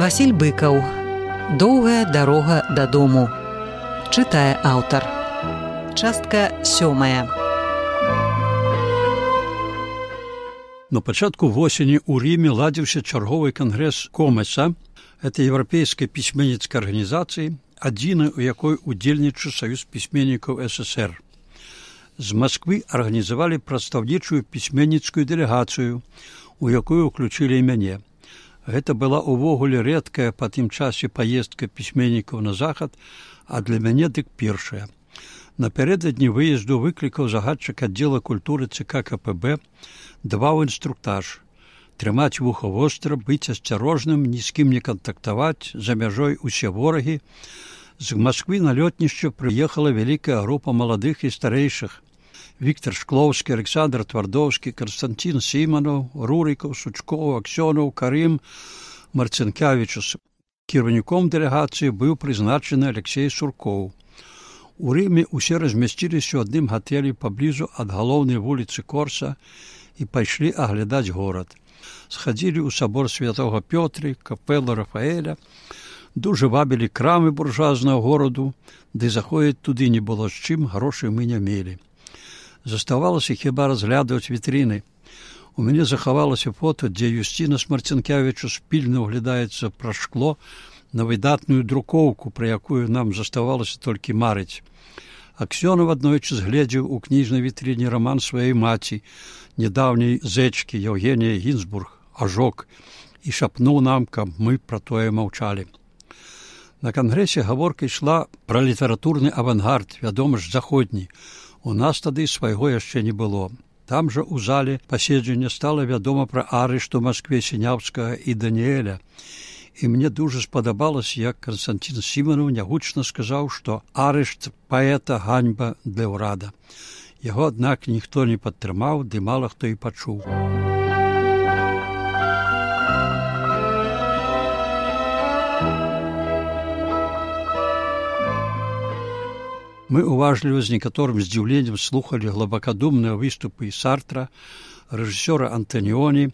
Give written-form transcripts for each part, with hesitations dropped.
Васіль Быкаў. Доўгая дарога дадому. Чытае аўтар. Частка 7. На пачатку восені ў Ріме ладзіўся чарговы кангрэс Комеса, гэта еўрапейскай пісьменніцкай арганізацыі, адзінай, у якой удзельнічаў Саюз пісьменнікаў СССР. З Масквы арганізавалі прадстаўнічую пісьменніцкую дэлегацыю, у якую ўключылі і мяне. Гэта была ўвогуле рэдкая па тым часе паездка пісьменнікаў на захад, а для мяне дык першая. Напярэдадні выезду выклікаў загадчык аддзела культуры ЦК КПБ, даваў інструктаж: трымаць вуха востра, быць асцярожным, ні з кім не кантактаваць, за мяжой усе ворагі. З Масквы на лётнішча прыехала вялікая група маладых і старэйшых: Віктор Шклоўскі, Александр Твардоўскі, Константин Сіманаў, Рурікаў, Сучкоў, Аксёнаў, Карым, Марцінкявічус. Кіраўніком дэлегацыі быў прызначаны Алексей Суркоў. У Рыме усе размясціліся ў адным гатэлі паблізу ад галоўнай вуліцы Корса і пайшлі аглядаць горад. Схадзілі ў сабор святога Пётры, капэлу Рафаэля, дужа вабілі крамы буржуазнага гораду, ды заходзіць туды не было з чым, грошай мы не мелі. Заставалася хіба разглядаць вітрыны. У мяне захавалася фота, дзе Юсціна Марцінкявічус пільна ўглядаецца праз шкло на выдатную друкоўку, пра якую нам заставалася толькі марыць. Аксёнаў аднойчы згледзеў у кніжнай вітрыне раман сваёй маці, нядаўняй зэчкі Еўгенія Гінзбург, «Ажок», і шапнуў нам, каб мы пра тое маўчалі. На кангрэсе гаворка ішла пра літаратурны авангард, вядома ж, заходні. У нас тады свайго яшчэ не было. Там жа ў зале паседжання стала вядома пра арышт у Маскве Сіняўскага і Даніэля. І мне дужа спадабалася, як Константин Сіманаў нягучна сказаў, што арышт паэта ганьба для ўрада. Яго, аднак, ніхто не падтрымаў, ды мала хто і пачуў. Мы уважліва з некаторым здзіўленнем слухалі глыбакадумныя выступы Сартра, рэжысёра Антаніоні,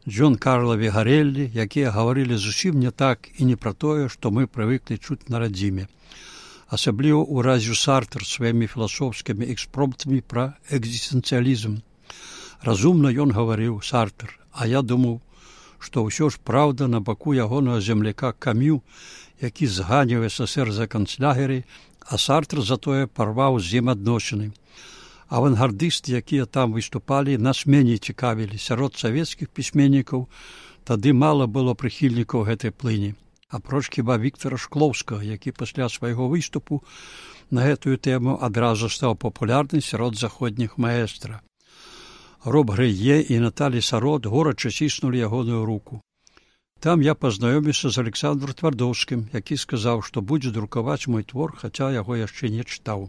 Джон Карла Вігарэллі, якія гаварылі зусім не так і не пра тое, што мы прывыклі чуць на радзіме. Асабліва ўразіў Сартр сваімі філасофскімі экспромтамі пра экзістэнцыялізм. Разумна ён гаварыў, Сартр, а я думаў, што ўсё ж праўда на баку ягонага земляка Камю, які зганіў СССР за канцлягеры, а Сартр затое парваў з ім адносіны. Авангардысты, якія там выступалі, нас меней цікавілі. Сярод савецкіх пісьменнікаў тады мала было прыхільнікаў гэтай плыні. Апроч хіба Віктора Шклоўскага, які пасля свайго выступу на гэтую тэму адразу стаў папулярны сярод заходніх маэстра. Роб Грэе і Наталі Сарот горача ціснулі ягоную руку. Там я пазнаёміўся з Александром Твардоўскім, які сказаў, што будзе друкаваць мой твор, хаця яго яшчэ не чытаў.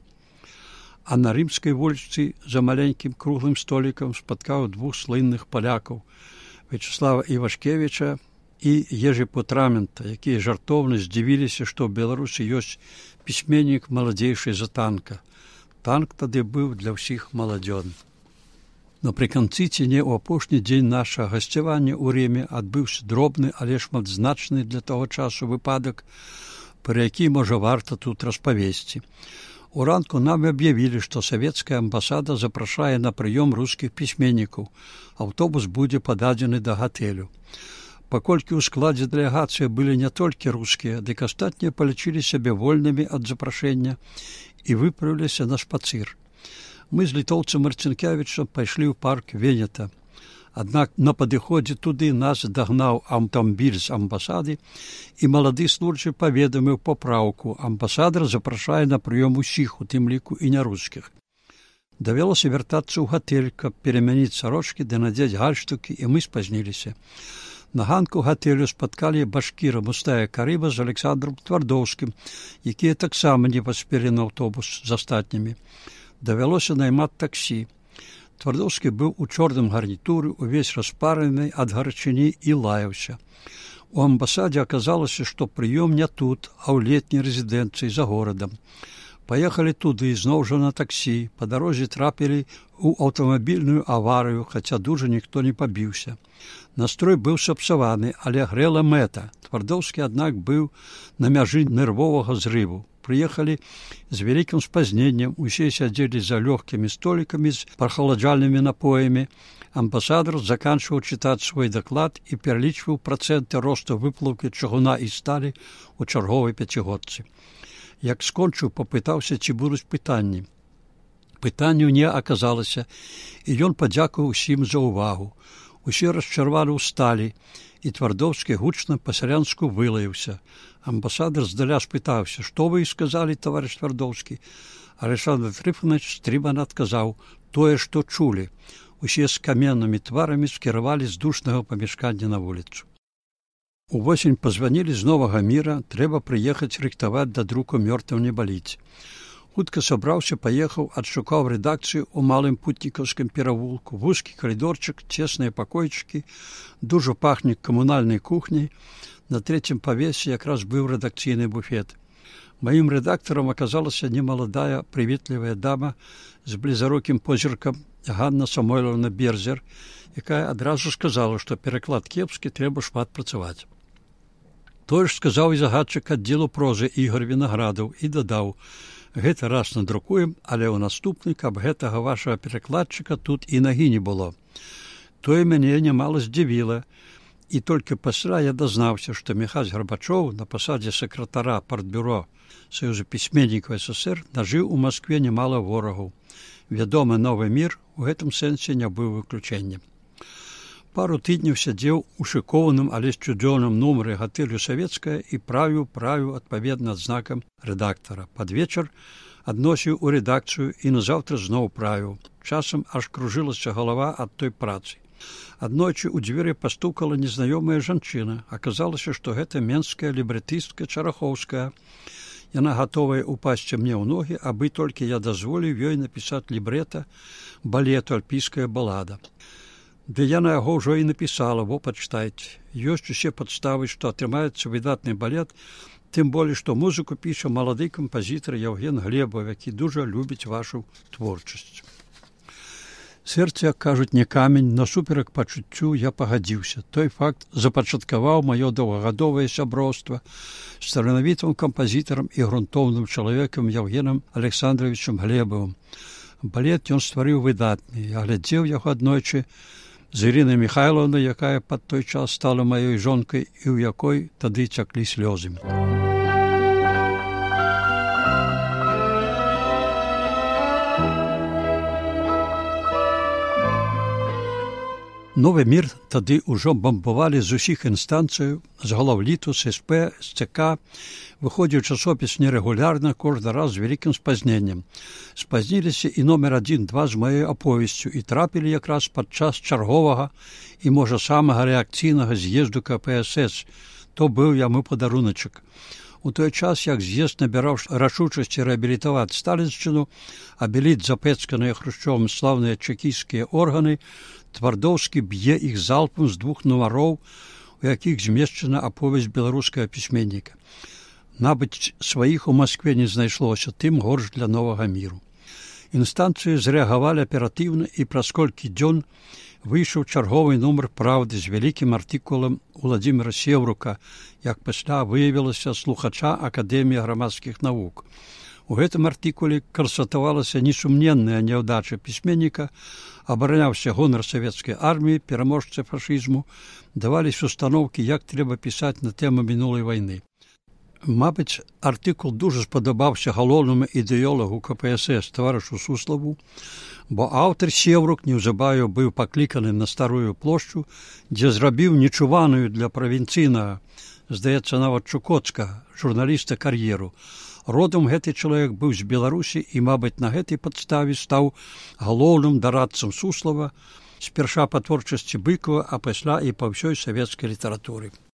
А на рымскай вуліцы за маленькім круглым столікам спаткаў двух слынных палякаў – Вячеслава Івашкевіча і Ежы Путрамента, якія жартоўна здзівіліся, што ў Беларусі ёсць пісьменнік маладзейшы за Танка. Танк тады быў для ўсіх маладзён. Напрыканцы ці не ў апошні дзень нашага гасцявання ў Рыме адбыўся дробны, але шматзначны для таго часу выпадак, пра які, можа, варта тут распавесці. Уранку нам аб'явілі, што савецкая амбасада запрашае на прыём рускіх пісьменнікаў. Аўтобус будзе пададзены да гатэлю. Паколькі ў складзе дэлегацыі былі не толькі рускія, дык астатнія палічылі сябе вольнымі ад запрашэння і выправіліся на шпацыр. Мы з літоўцам Марцінкявічам пайшлі ў парк Венета. Аднак на падыходзе туды нас дагнаў аўтамабіль з амбасады, і малады службы паведаміў папраўку. Амбасадар запрашае на прыём усіх, у тым ліку і нярускіх. Давялося вяртацца ў гатэль, каб перамяніць сарочкі ды надзець гальштукі, і мы спазніліся. На ганку гатэлю спаткалі башкіра Мустая Карыба з Александром Твардоўскім, якія таксама не паспелі на аўтобус з астатнімі. Давялося наймаць таксі. Твардоўскі быў у чорным гарнітуры, увесь распараны ад гарачыні і лаяўся. У амбасадзе аказалася, што прыём не тут, а ў летняй рэзідэнцыі за горадам. Паехалі туды, зноў жа на таксі. Па дарозе трапілі ў аўтамабільную аварыю, хаця дужа ніхто не пабіўся. Настрой быў сапсаваны, але грэла мэта. Твардоўскі, аднак, быў на мяжы нервовага зрыву. Прыехалі з вялікім спазненнем, усе сядзелі за лёгкімі столікамі з прахаладжальнымі напоямі. Амбасадар заканчваў чытаць свой даклад і пералічваў працэнты росту выплаўкі чыгуна і сталі ў чарговай пяцігодцы. Як скончыў, папытаўся, ці будуць пытанні. Пытанняў не аказалася, і ён падзякаваў усім за ўвагу. Усе расчарвалі ў сталі, і Твардоўскі гучна па-сялянску вылаяўся. Амбасадар здаля спытаўся: «Што вы сказалі, таварыш Твардоўскі?» Александр Трыфанович стрымана адказаў: «Тое, што чулі». Усе з каменнымі тварамі скіравалі з душнага памяшкання на вуліцу. Увосень пазванілі з Новага Міра, трэба прыехаць рыхтаваць да друку «Мёртвым не баліць». Хутка сабраўся, паехаў, адшукаў рэдакцыю ў малым путнікаўскім перавулку, вузкі калідорчык, цесныя пакойчыкі, дужа пахне камунальнай кухняй. На трэцім павесе якраз быў рэдакцыйны буфет. Маім рэдактарам аказалася немаладая, прыветлівая дама з блізарокім позіркам Ганна Самойловна Берзер, якая адразу сказала, што пераклад кепскі, трэба шмат працаваць. Тое ж сказаў і загадчык аддзелу прозы Ігор Вінаградаў і дадаў: «Гэта раз надрукуем, але ў наступны, каб гэтага вашага перакладчыка тут і нагі не было». Тое мяне нямала здзівіла, і толькі пасля я дазнаўся, што Міхась Гарбачоў на пасадзе сакратара партбюро Саюза пісьменнікаў СССР нажыў у Маскве немала ворагаў. Вядомы «Новы мір» у гэтым сэнсе не быў выключэннем. Пару тыдняў сядзеў у шыкованым, але сцюдзёным нумары гатэлю «Савецкая» і правіў адпаведна адзнакам рэдактара. Пад вечар адносіў у рэдакцыю і назаўтра зноў правіў. Часам аж кружылася галава ад той працы. Аднойчы ў дзверы пастукала незнаёмая жанчына. Аказалася, што гэта менская лібрэтыстка Чарахоўская. Яна гатовая упасці мне ў ногі, абы толькі я дазволіў ёй напісаць лібрэта балету «Альпійская балада». Ды яна яго ўжо і напісала, во пачытайце. Ёсць усе падставы, што атрымаецца выдатны балет, тым болей, што музыку піша малады кампазітар Яўген Глебаў, які дужа любіць вашу творчасць. Сэрце, як кажуць, не камень, насуперак пачуццю я пагадзіўся. Той факт запачаткаваў маё доўгагадовае сяброўства з таленавітым кампазітарам і грунтоўным чалавекам Яўгенам Александровичам Глебавым. Балет ён стварыў выдатны. Я глядзеў яго аднойчы з Ірынай Міхайлаўнай, якая пад той час стала маёй жонкай і ў якой тады цяклі слёзы. Новы мір тады ўжо бамбавалі з усіх інстанцыяў, з глаўліту, з СП, з ЦК. Выходзіў часопіс нерэгулярна, кожны раз з вялікім спазненнем. Спазніліся і номер 1-2 з маёй аповесцю і трапілі якраз падчас чарговага і, можа, самага рэакцыйнага з'езду КПСС. То быў яму падаруначак. У той час, як з'езд набіраў рашучасці рэабілітаваць сталіншчыну, абеліць запэцканыя Хрушчовым слаўныя чэкісцкія органы, Твардоўскі б'е іх залпам з 2 нумароў, у якіх змешчана аповесць беларускага пісьменніка. Набыць сваіх у Маскве не знайшлося, тым горш для Новага міру. Інстанцыі зрэагавалі аператыўна, і праз колькі дзён выйшаў чарговы нумар «Праўды» з вялікім артыкулам Уладзіміра Сеўрука, як пасля выявілася, слухача Акадэміі грамадскіх навук. У гэтым артыкуле канстатавалася несумненная няўдача пісьменніка, абараняўся гонар савецкай арміі, пераможцы фашызму, даваліся установкі, як трэба пісаць на тэму мінулай вайны. Мабыць, артыкул дужа спадабаўся галоўнаму ідэолагу КПСС таварышу Суславу, бо аўтар Сеўрук неўзабаве быў пакліканы на Старую плошчу, дзе зрабіў нечуваную для правінцыйнага, здаецца, нават чукоцкага, журналіста кар'еру. Родам гэты чалавек быў з Беларусі і, мабыць, на гэтай падставе стаў галоўным дарадцам Суслава, спярша па творчасці Быкова, а пасля і па ўсёй савецкай літаратуры.